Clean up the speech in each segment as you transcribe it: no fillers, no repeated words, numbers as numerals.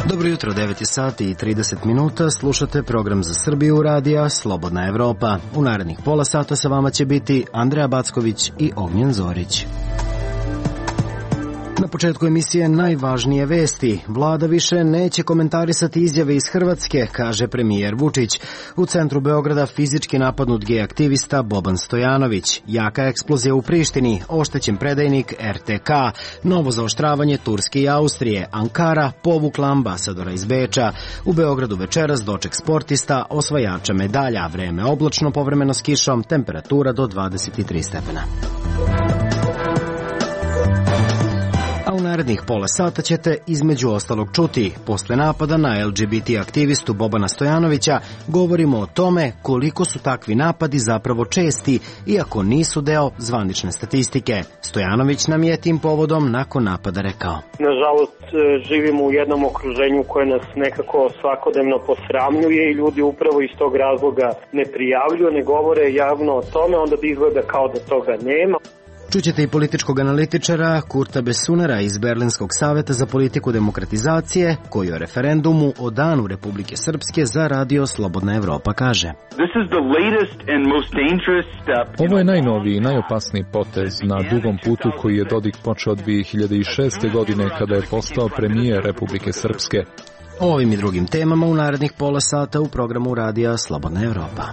Dobro jutro, 9 sati i 30 minuta, slušate program za Srbiju radija Slobodna Evropa. U narednih pola sata sa vama će biti Andreja Backović i Ognjen Zorić. Na početku emisije najvažnije vesti. Vlada više neće komentarisati izjave iz Hrvatske, kaže premijer Vučić. U centru Beograda fizički napadnut gej aktivista Boban Stojanović. Jaka eksplozija u Prištini, oštećen predajnik RTK. Novo zaoštravanje Turske i Austrije. Ankara povukla ambasadora iz Beča. U Beogradu večeras doček sportista, osvajača medalja. Vreme oblačno, povremeno s kišom, temperatura do 23 stepena. A u narednih pola sata ćete između ostalog čuti. Posle napada na LGBT aktivistu Bobana Stojanovića govorimo o tome koliko su takvi napadi zapravo česti, iako nisu deo zvanične statistike. Stojanović nam je tim povodom nakon napada rekao: Nažalost, živimo u jednom okruženju koje nas nekako svakodnevno posramljuje i ljudi upravo iz tog razloga ne prijavljuju, ne govore javno o tome, onda bi izgleda kao da toga nema. Čućete i političkog analitičara Kurta Besunera iz Berlinskog saveta za politiku demokratizacije, koji o referendumu o Danu Republike Srpske za radio Slobodna Evropa kaže: Ovo je najnoviji i najopasniji potez na dugom putu koji je Dodik počeo 2006. godine kada je postao premijer Republike Srpske. O ovim i drugim temama u narednih pola sata u programu radija Slobodna Evropa.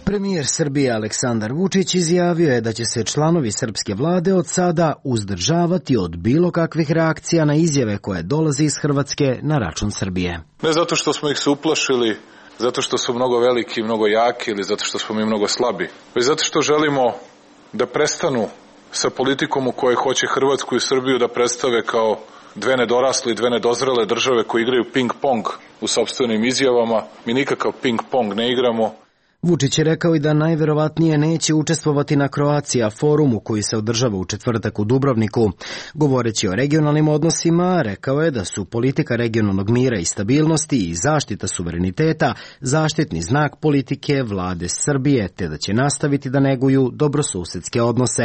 Premijer Srbije Aleksandar Vučić izjavio je da će se članovi srpske vlade od sada uzdržavati od bilo kakvih reakcija na izjave koje dolaze iz Hrvatske na račun Srbije. Ne zato što smo ih se uplašili, zato što su mnogo veliki i mnogo jaki ili zato što smo mi mnogo slabi, već zato što želimo da prestanu sa politikom u kojoj hoće Hrvatsku i Srbiju da predstave kao dve nedorasle i dve nedozrele države koje igraju ping-pong u sopstvenim izjavama. Mi nikakav ping-pong ne igramo. Vučić je rekao i da najverovatnije neće učestvovati na Croatia forumu koji se održava u četvrtak u Dubrovniku. Govoreći o regionalnim odnosima, rekao je da su politika regionalnog mira i stabilnosti i zaštita suvereniteta zaštitni znak politike vlade Srbije, te da će nastaviti da neguju dobrosusedske odnose.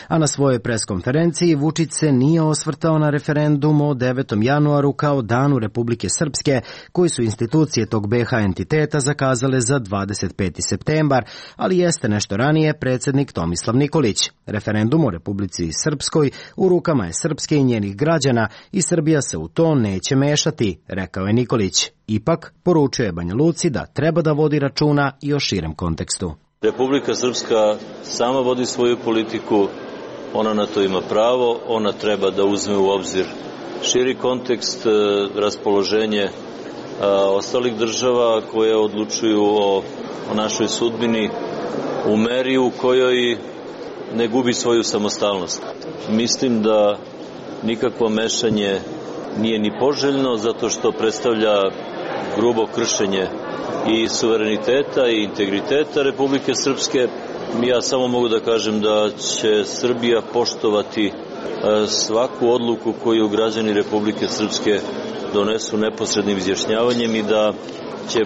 A na svojoj preskonferenciji Vučić se nije osvrtao na referendum o 9. januaru kao Danu Republike Srpske, koji su institucije tog BiH entiteta zakazale za 25. septembar, ali jeste nešto ranije predsjednik Tomislav Nikolić. Referendum o Republici Srpskoj u rukama je Srpske i njenih građana i Srbija se u to neće mešati, rekao je Nikolić. Ipak, poručio je Banja Luci da treba da vodi računa i o širem kontekstu. Republika Srpska sama vodi svoju politiku, ona na to ima pravo, ona treba da uzme u obzir širi kontekst, raspoloženje ostalih država koje odlučuju o našoj sudbini u meri u kojoj ne gubi svoju samostalnost. Mislim da nikakvo mešanje nije ni poželjno zato što predstavlja grubo kršenje i suvereniteta i integriteta Republike Srpske. Ja samo mogu da kažem da će Srbija poštovati svaku odluku koju građani Republike Srpske donesu neposrednim izjašnjavanjem i da će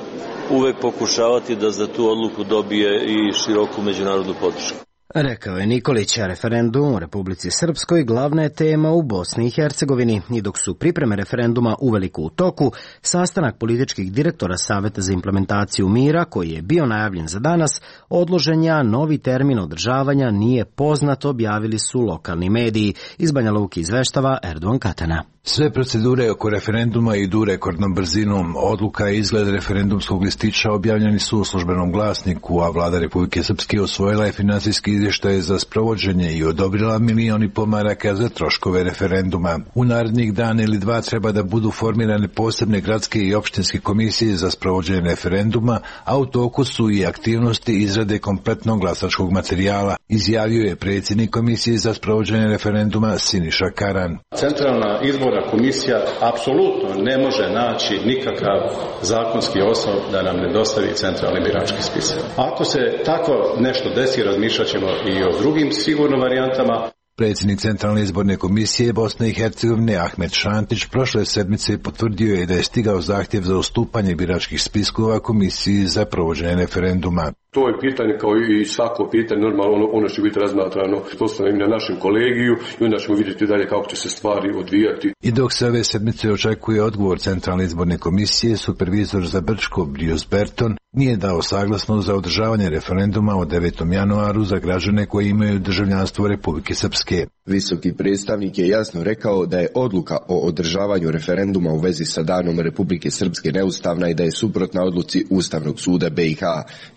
uvek pokušavati da za tu odluku dobije i široku međunarodnu podršku. Rekao je Nikolić, a referendum u Republici Srpskoj glavna je tema u Bosni i Hercegovini. I dok su pripreme referenduma uveliko u toku, sastanak političkih direktora Saveta za implementaciju mira, koji je bio najavljen za danas, odložen je, novi termin održavanja nije poznat, objavili su lokalni mediji. Iz Banja Luke izveštava Erdogan Katana. Sve procedure oko referenduma idu rekordnom brzinom. Odluka i izgled referendumskog listića objavljeni su u Službenom glasniku, a vlada Republike Srpske osvojila je finansijski izvještaj za sprovođenje i odobrila 1,5 miliona maraka za troškove referenduma. U narednih dana ili dva treba da budu formirane posebne gradske i opštinske komisije za sprovođenje referenduma, a u toku su i aktivnosti izrade kompletnog glasačkog materijala, izjavio je predsjednik komisije za sprovođenje referenduma Siniša Karan. Centralna izborna komisija apsolutno ne može naći nikakav zakonski osnov da nam ne dostavi centralni birački spisak. Ako se tako nešto desi, razmišljat ćemo i o drugim sigurno varijantama. Predsjednik Centralne izborne komisije Bosne i Hercegovine Ahmet Šantić prošle sedmice potvrdio je da je stigao zahtjev za ustupanje biračkih spiskova komisiji za provođenje referenduma. To je pitanje kao i svako pitanje, normalno ono će biti razmatrano postavljeno na našem kolegiju i onda ćemo vidjeti dalje kako će se stvari odvijati. I dok se ove sedmice očekuje odgovor Centralne izborne komisije, supervizor za Brčko Brius Berton nije dao saglasnost za održavanje referenduma o 9. januaru za građane koji imaju državljanstvo Republike Srpske. Visoki predstavnik je jasno rekao da je odluka o održavanju referenduma u vezi sa danom Republike Srpske neustavna i da je suprotna odluci Ustavnog suda BiH.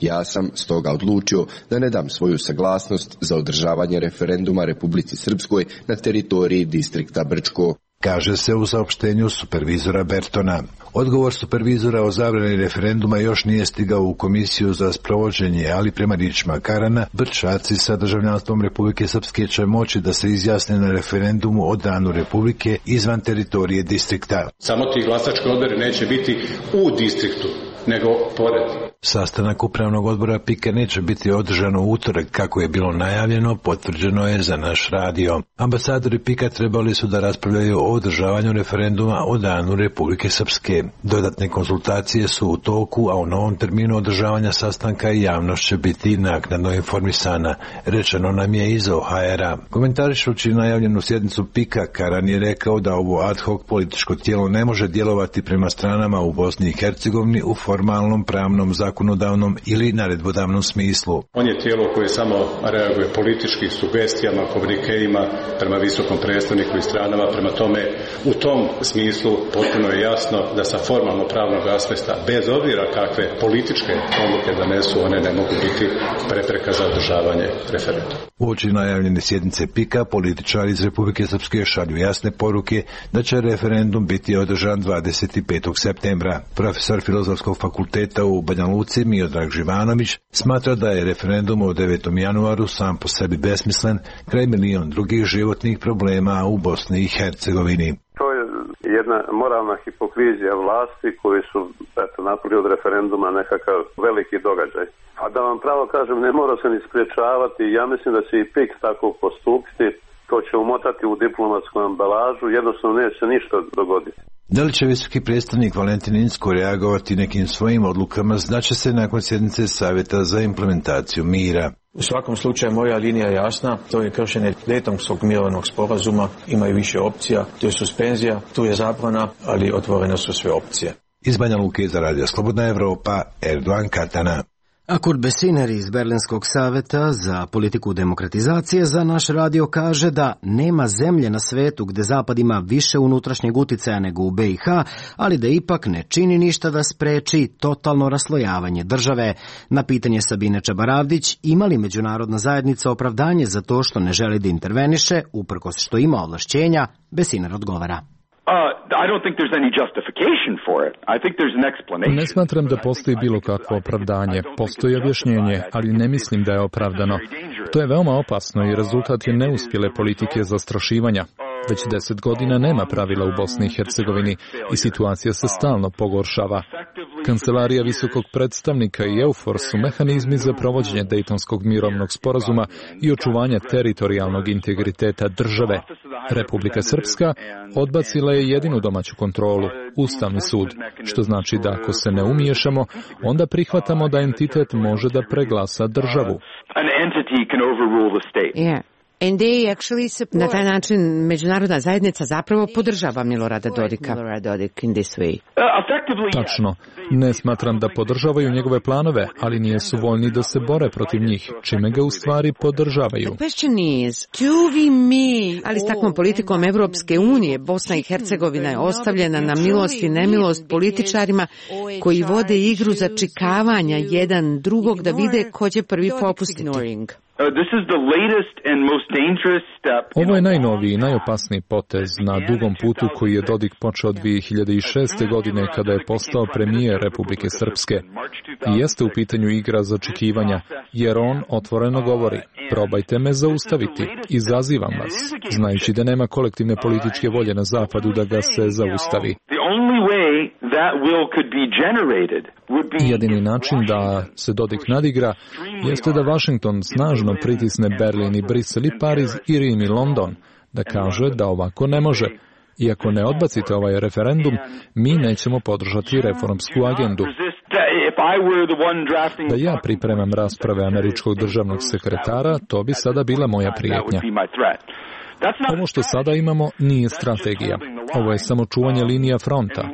Ja sam stoga odlučio da ne dam svoju saglasnost za održavanje referenduma Republici Srpskoj na teritoriji distrikta Brčko, kaže se u saopštenju supervizora Bertona. Odgovor supervizora o zabrani referenduma još nije stigao u komisiju za sprovođenje, ali prema riječima Karana, Brčaci sa državljanstvom Republike Srpske će moći da se izjasne na referendumu o danu Republike izvan teritorije distrikta. Samo ti glasački odbori neće biti u distriktu, nego pored. Sastanak upravnog odbora PIK-a neće biti održan u utorak kako je bilo najavljeno, potvrđeno je za naš radio. Ambasadori PIK-a trebali su da raspravljaju o održavanju referenduma o danu Republike Srpske. Dodatne konsultacije su u toku, a u novom terminu održavanja sastanka i javnost će biti naknadno informisana, rečeno nam je iz OHR-a. Komentarišući najavljenu sjednicu PIK-a, Karan je rekao da ovo ad hoc političko tijelo ne može djelovati prema stranama u Bosni i Hercegovini u formalnom pravnom zakonodavnom ili naredbodavnom smislu. On je tijelo koje samo reaguje političkim sugestijama, komunikeima prema visokom predstavniku i stranama, prema tome u tom smislu potpuno je jasno da sa formalno pravnog aspekta, bez obzira kakve političke odluke donesu, one ne mogu biti prepreka za održavanje referenduma. Uoči najavljene sjednice PIK-a, političari iz Republike Srpske šalju jasne poruke da će referendum biti održan 25. septembra. Profesor Filozofskog fakulteta u Banja Luci Miodrag Živanović smatra da je referendum o 9. januaru sam po sebi besmislen kraj milion drugih životnih problema u Bosni i Hercegovini. To je jedna moralna hipokrizija vlasti koji su napravili od referenduma nekakav veliki događaj. A da vam pravo kažem, ne mora se ni spriječavati. Ja mislim da će i PIK tako postupiti. To će umotati u diplomatsku ambalažu. Jednostavno neće ništa dogoditi. Da li će visoki predstavnik Valentin Inzko reagovati nekim svojim odlukama, znaće se nakon sjednice Savjeta za implementaciju mira. U svakom slučaju moja linija je jasna, to je kršenje Daytonskog mirovnog sporazuma, ima i više opcija, to je suspenzija, tu je zabrana, ali otvorene su sve opcije. Iz Banja Luke za Radio Slobodna Evropa, Erdogan Katana. A Kurt Besiner iz Berlinskog saveta za politiku demokratizacije za naš radio kaže da nema zemlje na svetu gde Zapad ima više unutrašnjeg uticaja nego u BiH, ali da ipak ne čini ništa da spreči totalno raslojavanje države. Na pitanje Sabine Čabaravdić, ima li međunarodna zajednica opravdanje za to što ne želi da interveniše, uprkos što ima ovlašćenja, Besiner odgovara. Ne smatram da postoji bilo kakvo opravdanje. Postoji objašnjenje, ali ne mislim da je opravdano. To je veoma opasno i rezultat je neuspjele politike zastrašivanja. Već 10 godina nema pravila u Bosni i Hercegovini i situacija se stalno pogoršava. Kancelarija visokog predstavnika i EUFOR su mehanizmi za provođenje Dejtonskog mirovnog sporazuma i očuvanja teritorijalnog integriteta države. Republika Srpska odbacila je jedinu domaću kontrolu, Ustavni sud, što znači da ako se ne umiješamo, onda prihvatamo da entitet može da preglasa državu. Na taj način međunarodna zajednica zapravo podržava Milorada Dodika. Tačno. Ne smatram da podržavaju njegove planove, ali nisu voljni da se bore protiv njih, čime ga u stvari podržavaju. Ali s takvom politikom Evropske unije, Bosna i Hercegovina je ostavljena na milost i nemilost političarima koji vode igru začikavanja jedan drugog da vide ko će prvi popustiti. Ovo je najnoviji i najopasniji potez na dugom putu koji je Dodik počeo 2006. godine kada je postao premijer Republike Srpske. I jeste u pitanju igra začekivanja, jer on otvoreno govori: probajte me zaustaviti, izazivam vas, znajući da nema kolektivne političke volje na zapadu da ga se zaustavi. Jedini način da se Dodik nadigra jeste da Vašington snažno pritisne Berlin i Brisel i Pariz i Rim i London, da kaže da ovako ne može. I ako ne odbacite ovaj referendum, mi nećemo podržati reformsku agendu. Da ja pripremam rasprave američkog državnog sekretara, to bi sada bila moja prijetnja. Ovo što sada imamo nije strategija. Ovo je samo čuvanje linija fronta.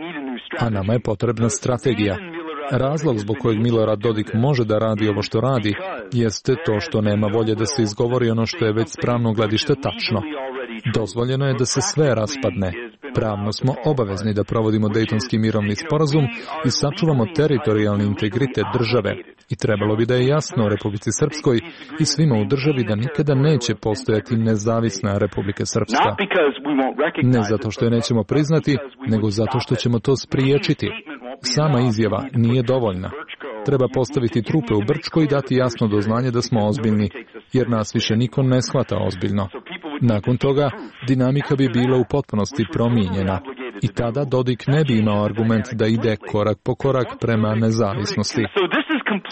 A nama je potrebna strategija. Razlog zbog kojeg Milorad Dodik može da radi ovo što radi jeste to što nema volje da se izgovori ono što je već s pravnog gledišta tačno. Dozvoljeno je da se sve raspadne. Pravno smo obavezni da provodimo Dejtonski mirovni sporazum i sačuvamo teritorijalni integritet države. I trebalo bi da je jasno Republici Srpskoj i svima u državi da nikada neće postojati nezavisna Republika Srpska. Ne zato što je nećemo priznati, nego zato što ćemo to spriječiti. Sama izjava nije dovoljna. Treba postaviti trupe u Brčko i dati jasno do znanja da smo ozbiljni, jer nas više niko ne shvata ozbiljno. Nakon toga, dinamika bi bila u potpunosti promijenjena i tada Dodik ne bi imao argument da ide korak po korak prema nezavisnosti.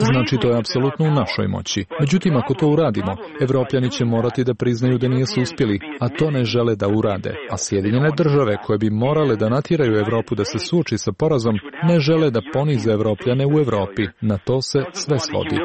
Znači, to je apsolutno u našoj moći. Međutim, ako to uradimo, Evropljani će morati da priznaju da nisu uspjeli, a to ne žele da urade. A Sjedinjene države, koje bi morale da natjeraju Evropu da se suoči sa porazom, ne žele da ponize Evropljane u Evropi. Na to se sve svodi.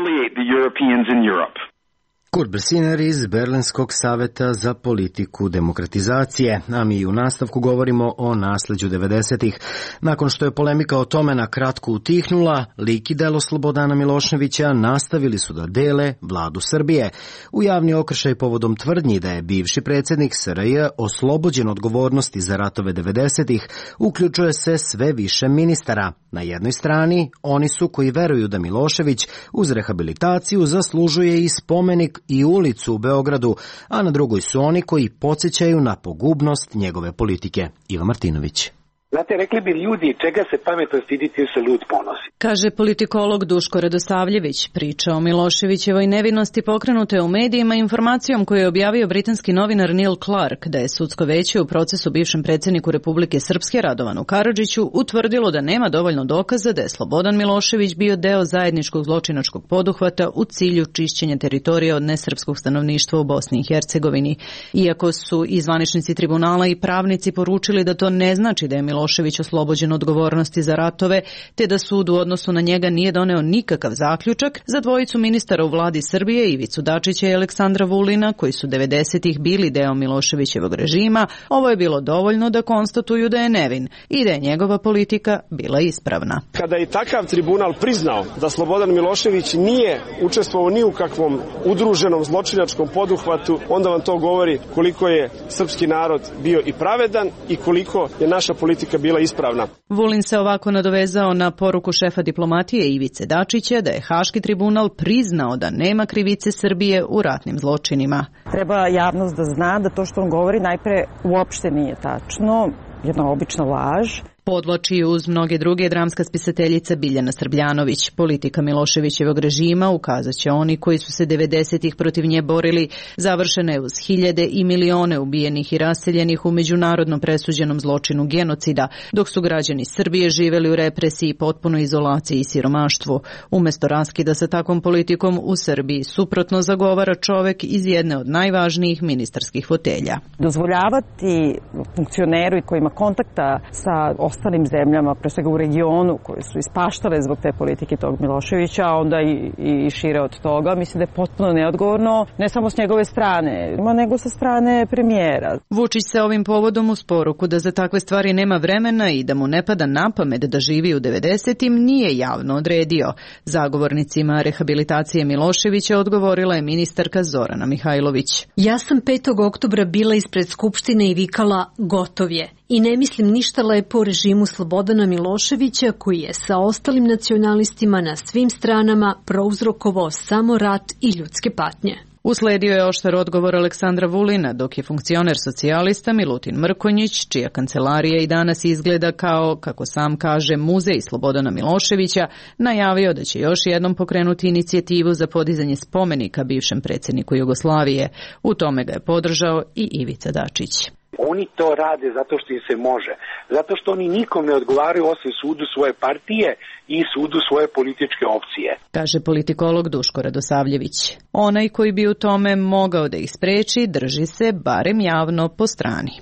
Kurt Bressiner iz Berlinskog saveta za politiku demokratizacije, a mi u nastavku govorimo o nasleđu 90-ih. Nakon što je polemika o tome na kratko utihnula, lik i delo Slobodana Miloševića nastavili su da dele vladu Srbije. U javni okršaj povodom tvrdnji da je bivši predsjednik SRJ oslobođen odgovornosti za ratove 90-ih, uključuje se sve više ministara. Na jednoj strani, oni su koji veruju da Milošević uz rehabilitaciju zaslužuje i spomenik i ulicu u Beogradu, a na drugoj su oni koji podsjećaju na pogubnost njegove politike. Iva Martinović. Znate, rekli bi ljudi, čega se pametno stiditi se lud ponosi. Kaže politikolog Duško Radosavljević. Priča o Miloševićevoj nevinosti pokrenute u medijima informacijom koju je objavio britanski novinar Neil Clark da je sudsko veće u procesu bivšem predsjedniku Republike Srpske Radovanu Karadžiću utvrdilo da nema dovoljno dokaza da je Slobodan Milošević bio deo zajedničkog zločinačkog poduhvata u cilju čišćenja teritorija od nesrpskog stanovništva u Bosni i Hercegovini. Iako su i zvaničnici tribunala i pravnici poručili da to ne znači da je Milošević oslobođen odgovornosti za ratove, te da sud u odnosu na njega nije doneo nikakav zaključak, za dvojicu ministara u vladi Srbije, Ivicu Dačića i Aleksandra Vulina, koji su 90-ih bili deo Miloševićevog režima, ovo je bilo dovoljno da konstatuju da je nevin i da je njegova politika bila ispravna. Kada je takav tribunal priznao da Slobodan Milošević nije učestvovao ni u kakvom udruženom zločinačkom poduhvatu, onda vam to govori koliko je srpski narod bio i pravedan i koliko je naša politika bila ispravna. Vulin se ovako nadovezao na poruku šefa diplomatije Ivice Dačića da je Haški tribunal priznao da nema krivice Srbije u ratnim zločinima. Treba javnost da zna da to što on govori najpre uopšte nije tačno, jedna obična laž. Podvlači uz mnoge druge dramska spisateljica Biljana Srbljanović. Politika Miloševićevog režima, ukazat će oni koji su se 90-ih protiv nje borili, završena je uz hiljade i milione ubijenih i raseljenih u međunarodno presuđenom zločinu genocida, dok su građani Srbije živeli u represiji, potpunoj izolaciji i siromaštvu. Umesto raskida sa takvom politikom u Srbiji suprotno zagovara čovek iz jedne od najvažnijih ministarskih fotelja. Dozvoljavati funkcioneru koji ima kontakta sa ostalim zemljama, pre svega u regionu, koje su ispaštale zbog te politike tog Miloševića, a onda i šire od toga, mislim da je potpuno neodgovorno, ne samo s njegove strane, nego sa strane premijera. Vučić se ovim povodom uz poruku da za takve stvari nema vremena i da mu ne pada na pamet da živi u 90-im nije javno odredio. Zagovornicima rehabilitacije Miloševića odgovorila je ministarka Zorana Mihajlović. Ja sam 5. oktobra bila ispred Skupštine i vikala gotov je. I ne mislim ništa lepo o režimu Slobodana Miloševića koji je sa ostalim nacionalistima na svim stranama prouzrokovao samo rat i ljudske patnje. Usledio je oštar odgovor Aleksandra Vulina, dok je funkcioner socijalista Milutin Mrkonjić, čija kancelarija i danas izgleda kao, kako sam kaže, muzej Slobodana Miloševića, najavio da će još jednom pokrenuti inicijativu za podizanje spomenika bivšem predsjedniku Jugoslavije. U tome ga je podržao i Ivica Dačić. Oni to rade zato što im se može. Zato što oni nikom ne odgovaraju osim sudu svoje partije i sudu svoje političke opcije. Kaže politikolog Duško Radosavljević. Onaj koji bi u tome mogao da ih spreči, drži se barem javno po strani.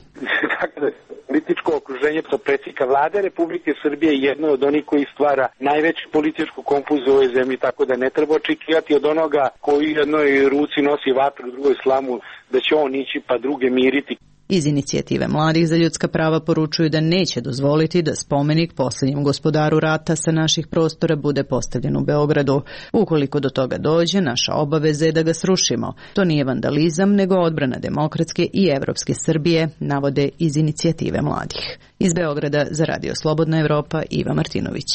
Političko okruženje predsjednika vlade Republike Srbije je jedno od onih koji stvara najveću političku konfuziju u ovoj zemlji, tako da ne treba očekivati od onoga koji u jednoj ruci nosi vatru, u drugoj slamu, da će on ići pa druge miriti. Iz inicijative Mladih za ljudska prava poručuju da neće dozvoliti da spomenik posljednjem gospodaru rata sa naših prostora bude postavljen u Beogradu. Ukoliko do toga dođe, naša obaveza je da ga srušimo. To nije vandalizam, nego odbrana demokratske i evropske Srbije, navode iz inicijative Mladih. Iz Beograda za Radio Slobodna Evropa, Iva Martinović.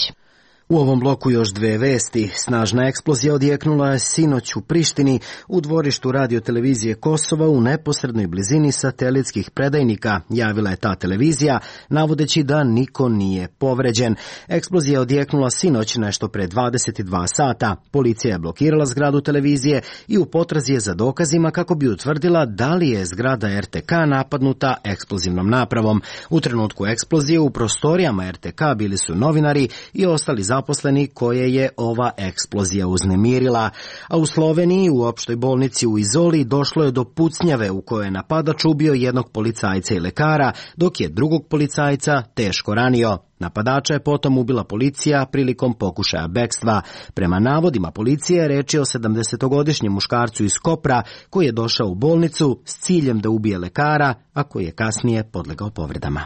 U ovom bloku još dve vesti. Snažna eksplozija odjeknula je sinoć u Prištini u dvorištu radiotelevizije Kosova u neposrednoj blizini satelitskih predajnika, javila je ta televizija, navodeći da niko nije povređen. Eksplozija odjeknula sinoć nešto pre 22 sata. Policija je blokirala zgradu televizije i u potrazi je za dokazima kako bi utvrdila da li je zgrada RTK napadnuta eksplozivnom napravom. U trenutku eksplozije u prostorijama RTK bili su novinari i ostali zaposleni koje je ova eksplozija uznemirila. A u Sloveniji u opštoj bolnici u Izoli došlo je do pucnjave u kojoj je napadač ubio jednog policajca i lekara, dok je drugog policajca teško ranio. Napadača je potom ubila policija prilikom pokušaja bekstva. Prema navodima policije reč je o 70-godišnjem muškarcu iz Kopra koji je došao u bolnicu s ciljem da ubije lekara, a koji je kasnije podlegao povredama.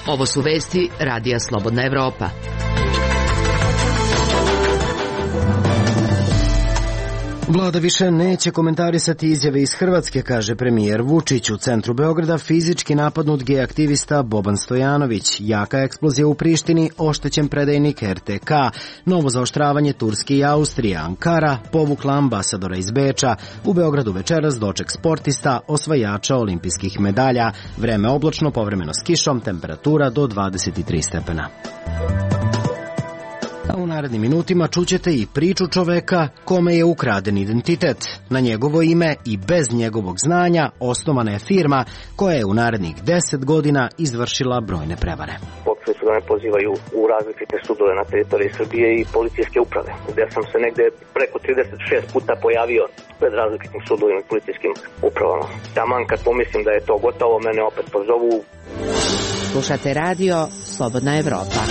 Ovo su vesti Radija Slobodna Evropa. Vlada više neće komentarisati izjave iz Hrvatske, kaže premijer Vučić. U centru Beograda fizički napadnut gej aktivista Boban Stojanović. Jaka eksplozija u Prištini, oštećen predajnik RTK. Novo zaoštravanje Turske i Austrije. Ankara povukla ambasadora iz Beča. U Beogradu večeras doček sportista, osvajača olimpijskih medalja. Vreme oblačno, povremeno s kišom, temperatura do 23 stepena. A u narednim minutima čućete i priču čoveka kome je ukraden identitet. Na njegovo ime i bez njegovog znanja osnovana je firma koja je u narednih 10 godina izvršila brojne prevare. Počeli su da me pozivaju u različite sudove na teritoriji Srbije i policijske uprave, gdje sam se negde preko 36 puta pojavio pred različitim sudovima i policijskim upravama. Taman kad pomislim da je to gotovo, mene opet pozovu. Slušate radio Slobodna Evropa.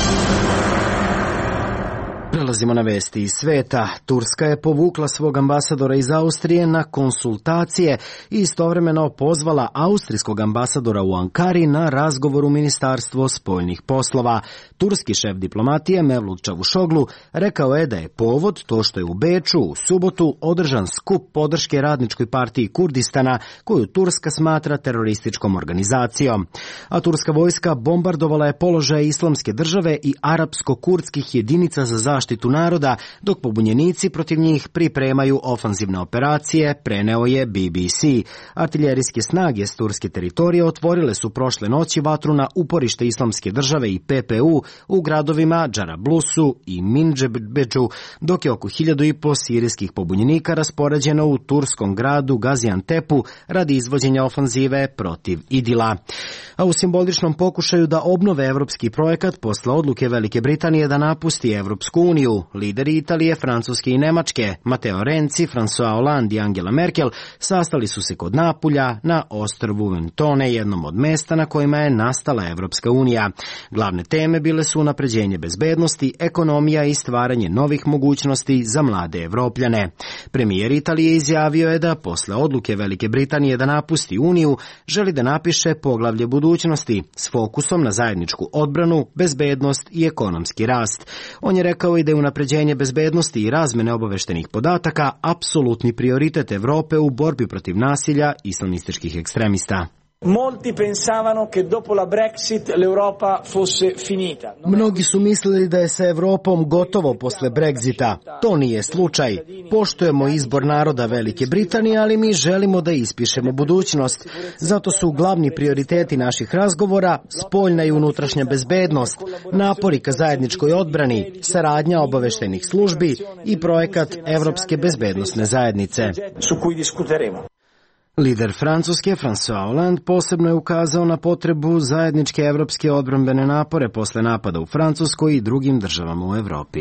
Prelazimo na vesti iz sveta. Turska je povukla svog ambasadora iz Austrije na konsultacije i istovremeno pozvala austrijskog ambasadora u Ankari na razgovor u Ministarstvo spoljnih poslova. Turski šef diplomatije Mevlut Čavušoglu rekao je da je povod to što je u Beču u subotu održan skup podrške Radničkoj partiji Kurdistana, koju Turska smatra terorističkom organizacijom. A turska vojska bombardovala je položaje Islamske države i arapsko-kurdskih jedinica za zaštitu naroda, dok pobunjenici protiv njih pripremaju ofanzivne operacije, preneo je BBC. Artiljerijske snage s turske teritorije otvorile su prošle noći vatru na uporište Islamske države i PPU u gradovima Džarablusu i Mindžebedžu, dok je oko 1500 sirijskih pobunjenika raspoređeno u turskom gradu Gaziantepu radi izvođenja ofanzive protiv Idila. A u simboličnom pokušaju da obnove evropski projekat posle odluke Velike Britanije da napusti Evropsku uniju, lideri Italije, Francuske i Nemačke, Matteo Renzi, François Hollande i Angela Merkel, sastali su se kod Napulja na ostrvu Ventone, jednom od mesta na kojima je nastala Evropska unija. Glavne teme bile su unapređenje bezbednosti, ekonomija i stvaranje novih mogućnosti za mlade Evropljane. Premijer Italije izjavio je da posle odluke Velike Britanije da napusti uniju, želi da napiše poglavlje budućnosti s fokusom na zajedničku odbranu, bezbednost i ekonomski rast. On je rekao i da je unapređenje bezbednosti i razmene obaveštenih podataka apsolutni prioritet Evrope u borbi protiv nasilja islamističkih ekstremista. Molti pensavano che dopo la Brexit l'Europa fosse finita. Mnogi su mislili da je sa Evropom gotovo posle Brexita. To nije slučaj. Poštujemo izbor naroda Velike Britanije, ali mi želimo da ispišemo budućnost. Zato su glavni prioriteti naših razgovora spoljna i unutrašnja bezbednost, napori ka zajedničkoj odbrani, saradnja obaveštenih službi i projekat Evropske bezbednosne zajednice. Su cui discuteremo. Lider Francuske, François Hollande, posebno je ukazao na potrebu zajedničke evropske odbrambene napore posle napada u Francuskoj i drugim državama u Evropi.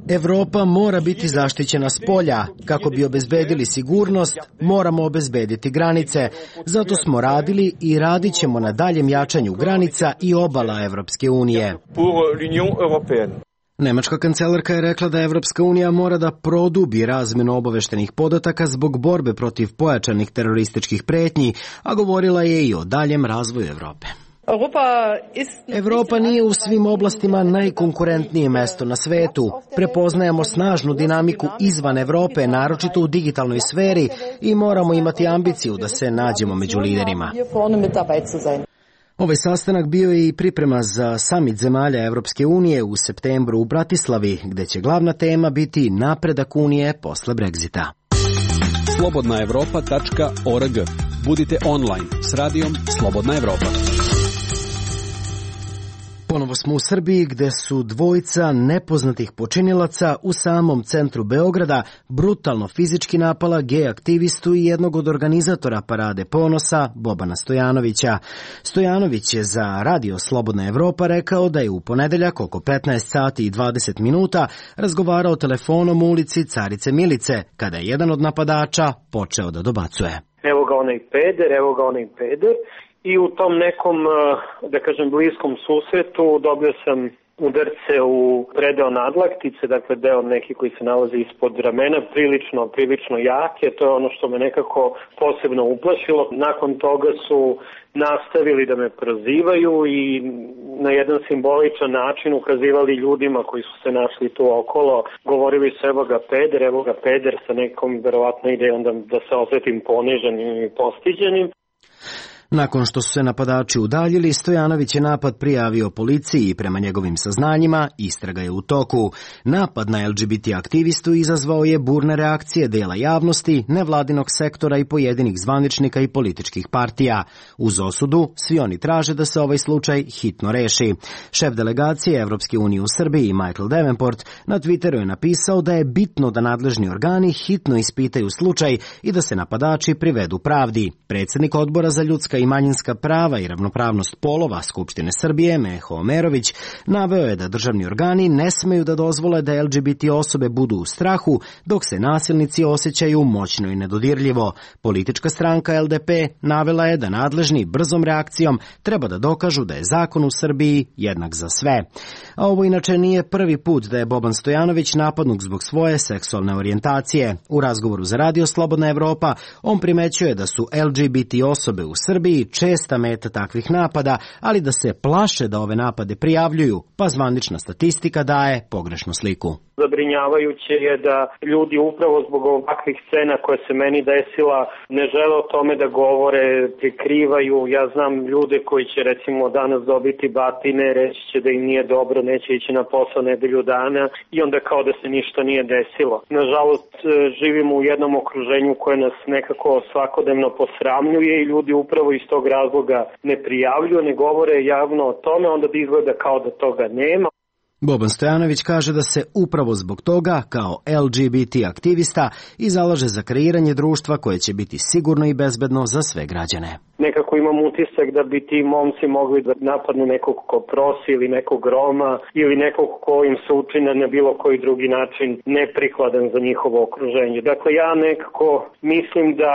Evropa mora biti zaštićena s polja. Kako bi obezbedili sigurnost, moramo obezbediti granice. Zato smo radili i radit ćemo na daljem jačanju granica i obala Evropske unije. Nemačka kancelarka je rekla da Evropska unija mora da produbi razmenu obaveštenih podataka zbog borbe protiv pojačanih terorističkih pretnji, a govorila je i o daljem razvoju Evrope. Evropa nije u svim oblastima najkonkurentnije mesto na svetu. Prepoznajemo snažnu dinamiku izvan Evrope, naročito u digitalnoj sferi, i moramo imati ambiciju da se nađemo među liderima. Ovaj sastanak bio je i priprema za samit zemalja Evropske unije u septembru u Bratislavi, gde će glavna tema biti napredak Unije posle Brexita. slobodnaevropa.org. Budite online s radijom Slobodna Evropa. Ponovo smo u Srbiji, gde su dvojica nepoznatih počinilaca u samom centru Beograda brutalno fizički napala gej aktivistu i jednog od organizatora Parade ponosa, Bobana Stojanovića. Stojanović je za Radio Slobodna Evropa rekao da je u ponedeljak oko 15 sati i 20 minuta razgovarao telefonom u ulici Carice Milice, kada je jedan od napadača počeo da dobacuje. Evo ga onaj peder, evo ga onaj peder. I u tom nekom, da kažem, bliskom susretu dobio sam udarce u predeo nadlaktice, dakle deo neki koji se nalazi ispod ramena, prilično jake. To je ono što me nekako posebno uplašilo. Nakon toga su nastavili da me prozivaju i na jedan simboličan način ukazivali ljudima koji su se našli tu okolo. Govorili su evo ga peder sa nekom verovatno idejom da se osjetim poniženim i postiđenim. Nakon što su se napadači udaljili, Stojanović je napad prijavio policiji i prema njegovim saznanjima istraga je u toku. Napad na LGBT aktivistu izazvao je burne reakcije dela javnosti, nevladinog sektora i pojedinih zvaničnika i političkih partija. Uz osudu, svi oni traže da se ovaj slučaj hitno reši. Šef delegacije Evropske unije u Srbiji, Michael Davenport, na Twitteru je napisao da je bitno da nadležni organi hitno ispitaju slučaj i da se napadači privedu pravdi. Predsjednik Odbora za ljudska i manjinska prava i ravnopravnost polova Skupštine Srbije, Meho Omerović, naveo je da državni organi ne smeju da dozvole da LGBT osobe budu u strahu, dok se nasilnici osjećaju moćno i nedodirljivo. Politička stranka LDP navela je da nadležni brzom reakcijom treba da dokažu da je zakon u Srbiji jednak za sve. A ovo inače nije prvi put da je Boban Stojanović napadnut zbog svoje seksualne orijentacije. U razgovoru za Radio Slobodna Evropa on primećuje da su LGBT osobe u Srbiji česta meta takvih napada, ali da se plaše da ove napade prijavljuju, pa zvanična statistika daje pogrešnu sliku. Zabrinjavajuće je da ljudi upravo zbog ovakvih scena koje se meni desila ne žele o tome da govore, prikrivaju. Ja znam ljude koji će recimo danas dobiti batine, reći će da im nije dobro, neće ići na posao nedelju dana i onda kao da se ništa nije desilo. Nažalost, živimo u jednom okruženju koje nas nekako svakodnevno posramljuje i ljudi upravo iz tog razloga ne prijavljuju, ne govore javno o tome, onda bi izgleda kao da toga nema. Boban Stojanović kaže da se upravo zbog toga, kao LGBT aktivista, i zalaže za kreiranje društva koje će biti sigurno i bezbedno za sve građane. Nekako imam utisak da bi ti momci mogli da napadnu nekog ko prosi ili nekog Roma ili nekog ko im se učine na bilo koji drugi način neprikladan za njihovo okruženje. Dakle, ja nekako mislim da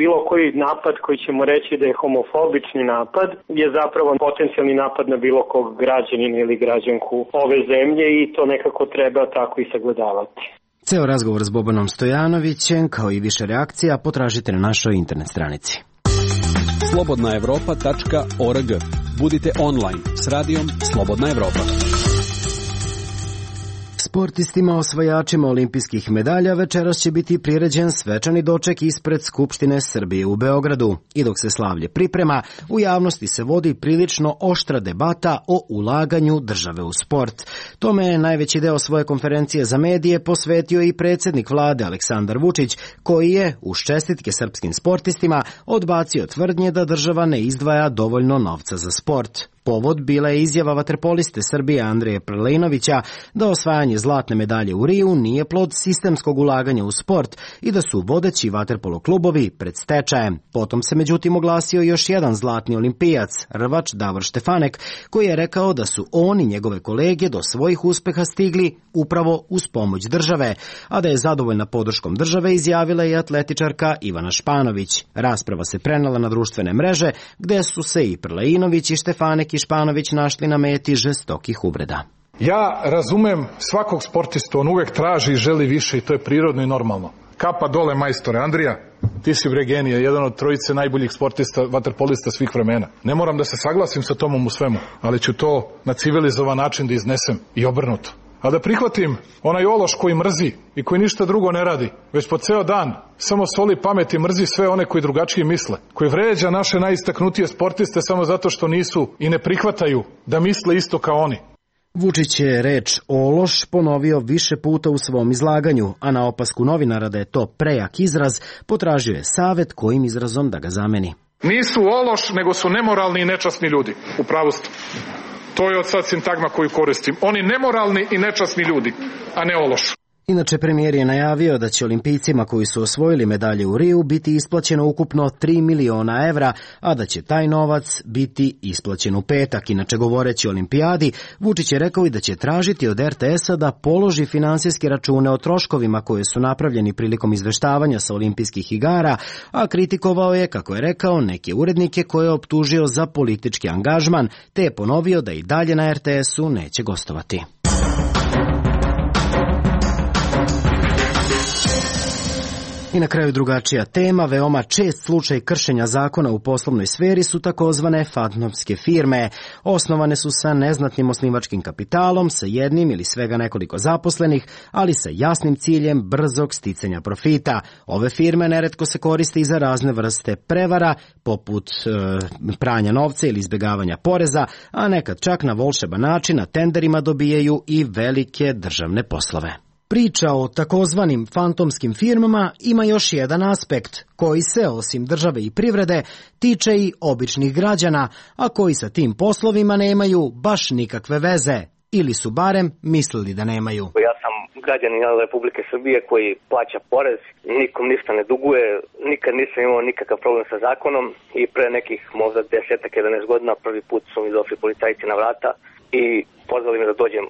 bilo koji napad koji ćemo reći da je homofobični napad je zapravo potencijalni napad na bilo kog građanina ili građanku ove zemlje i to nekako treba tako i sagledavati. Ceo razgovor s Bobanom Stojanovićem, kao i više reakcija, potražite na našoj internet stranici. slobodnaevropa.org. Budite online s radijom Slobodna Evropa. Sportistima osvajačima olimpijskih medalja večeras će biti priređen svečani doček ispred Skupštine Srbije u Beogradu. I dok se slavlje priprema, u javnosti se vodi prilično oštra debata o ulaganju države u sport. Tome je najveći deo svoje konferencije za medije posvetio i predsjednik vlade Aleksandar Vučić, koji je, uz čestitke srpskim sportistima, odbacio tvrdnje da država ne izdvaja dovoljno novca za sport. Povod bila je izjava vaterpoliste Srbije Andreja Prlinovića da osvajanje zlatne medalje u Riju nije plod sistemskog ulaganja u sport i da su vodeći vaterpolo klubovi pred stečajem. Potom se međutim oglasio još jedan zlatni olimpijac, rvač Davor Štefanek, koji je rekao da su on i njegove kolege do svojih uspeha stigli upravo uz pomoć države, a da je zadovoljna podrškom države izjavila i atletičarka Ivana Španović. Rasprava se prenela na društvene mreže, gde su se i Prleinović i Štefanek i Španović našli na meti žestokih uvreda. Ja razumem svakog sportistu, on uvek traži i želi više i to je prirodno i normalno. Kapa dole majstore. Andrija, ti si bre genija, jedan od trojice najboljih sportista, vaterpolista svih vremena. Ne moram da se saglasim sa Tomom u svemu, ali ću to na civilizovan način da iznesem i obrnuto. A da prihvatim onaj ološ koji mrzi i koji ništa drugo ne radi, već po ceo dan samo soli pamet i mrzi sve one koji drugačije misle, koji vređa naše najistaknutije sportiste samo zato što nisu i ne prihvataju da misle isto kao oni. Vučić je reč ološ ponovio više puta u svom izlaganju, a na opasku novinara da je to prejak izraz, potražio je savet kojim izrazom da ga zameni. Nisu ološ, nego su nemoralni i nečasni ljudi. U pravu ste. To je od sad sintagma koju koristim. Oni nemoralni i nečasni ljudi, a ne ološ. Inače, premijer je najavio da će olimpijcima koji su osvojili medalje u Riju biti isplaćeno ukupno 3 miliona evra, a da će taj novac biti isplaćen u petak. Inače, govoreći o olimpijadi, Vučić je rekao i da će tražiti od RTS-a da položi finansijske račune o troškovima koje su napravljeni prilikom izveštavanja sa olimpijskih igara, a kritikovao je, kako je rekao, neke urednike koje je optužio za politički angažman, te je ponovio da i dalje na RTS-u neće gostovati. I na kraju drugačija tema, veoma čest slučaj kršenja zakona u poslovnoj sferi su takozvane fantomske firme. Osnovane su sa neznatnim osnivačkim kapitalom, sa jednim ili svega nekoliko zaposlenih, ali sa jasnim ciljem brzog sticanja profita. Ove firme neretko se koriste i za razne vrste prevara, poput pranja novca ili izbjegavanja poreza, a nekad čak na volšeban način na tenderima dobijaju i velike državne poslove. Priča o takozvanim fantomskim firmama ima još jedan aspekt, koji se, osim države i privrede, tiče i običnih građana, a koji sa tim poslovima nemaju baš nikakve veze, ili su barem mislili da nemaju. Ja sam građanin Republike Srbije koji plaća porez, nikom ništa ne duguje, nikad nisam imao nikakav problem sa zakonom i pre nekih možda 10-11 godina prvi put su mi došli policajci na vrata i pozvali me da dođem.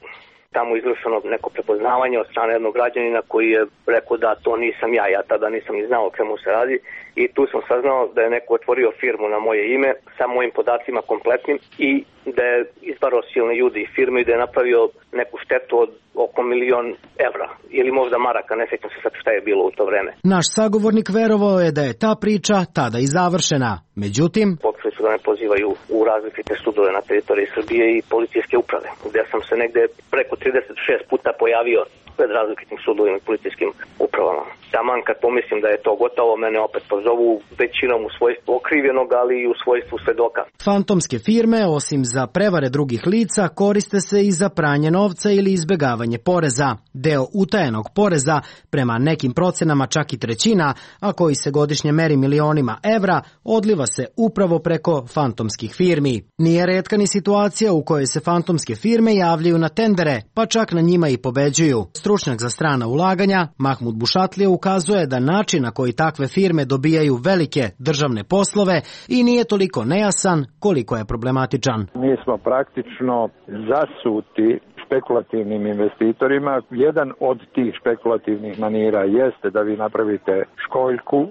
Tamo izvršeno neko prepoznavanje od strane jednog građanina koji je rekao da to nisam ja tada nisam ni znao o čemu se radi i tu sam saznao da je neko otvorio firmu na moje ime sa mojim podacima kompletnim i da je izbarao silne ljudi i firme i da je napravio neku štetu od oko 1.000.000 evra ili možda maraka, ne sjećam se sad šta je bilo u to vreme. Naš sagovornik verovao je da je ta priča tada i završena. Međutim, počeli su da me pozivaju u različite sudove na teritoriji Srbije i policijske uprave, gde sam se negde preko 36 puta pojavio pred različitim sudovima i policijskim upravama. Taman kad pomislim da je to gotovo, mene opet pozovu većinom u svojstvu okrivljenog, ali i u svojstvu svedoka. Fantomske firme, osim za prevare drugih lica, koriste se i za pranje novca ili izbjegavanje poreza. Deo utajenog poreza, prema nekim procenama čak i trećina, a koji se godišnje meri milionima evra, odliva se upravo preko fantomskih firmi. Nije retka ni situacija u kojoj se fantomske firme javljaju na tendere, pa čak na njima i pobeđuju. Stručnjak za strana ulaganja, Mahmud Bušatlija, ukazuje da način na koji takve firme dobijaju velike državne poslove i nije toliko nejasan koliko je problematičan. Mi smo praktično zasuti špekulativnim investitorima. Jedan od tih špekulativnih manira jeste da vi napravite školjku,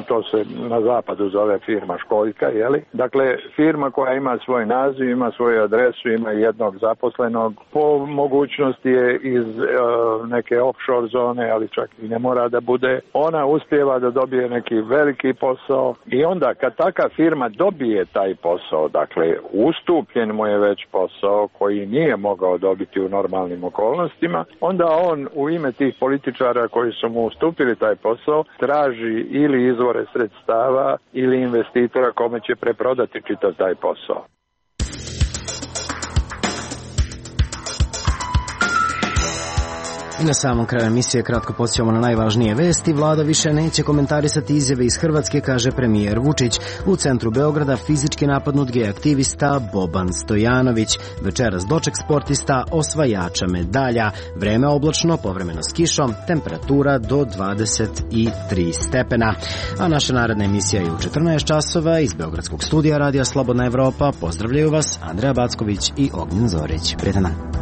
to se na zapadu zove firma školjka, jeli? Dakle, firma koja ima svoj naziv, ima svoju adresu, ima jednog zaposlenog, po mogućnosti je iz neke offshore zone, ali čak i ne mora da bude. Ona uspijeva da dobije neki veliki posao i onda kad taka firma dobije taj posao, dakle, ustupljen mu je već posao koji nije mogao dobiti u normalnim okolnostima, onda on u ime tih političara koji su mu ustupili taj posao traži ili izvore sredstava ili investitora kome će preprodati čitav taj posao. Na samom kraju emisije kratko podsjećamo na najvažnije vesti. Vlada više neće komentarisati izjave iz Hrvatske, kaže premijer Vučić. U centru Beograda fizički napadnut gej aktivista Boban Stojanović. Večeras doček sportista osvajača medalja. Vreme oblačno, povremeno s kišom, temperatura do 23 stepena. A naša naredna emisija je u 14 časova iz Beogradskog studija Radija Slobodna Evropa. Pozdravljaju vas Andreja Backović i Ognjen Zorić. Prijetan dan.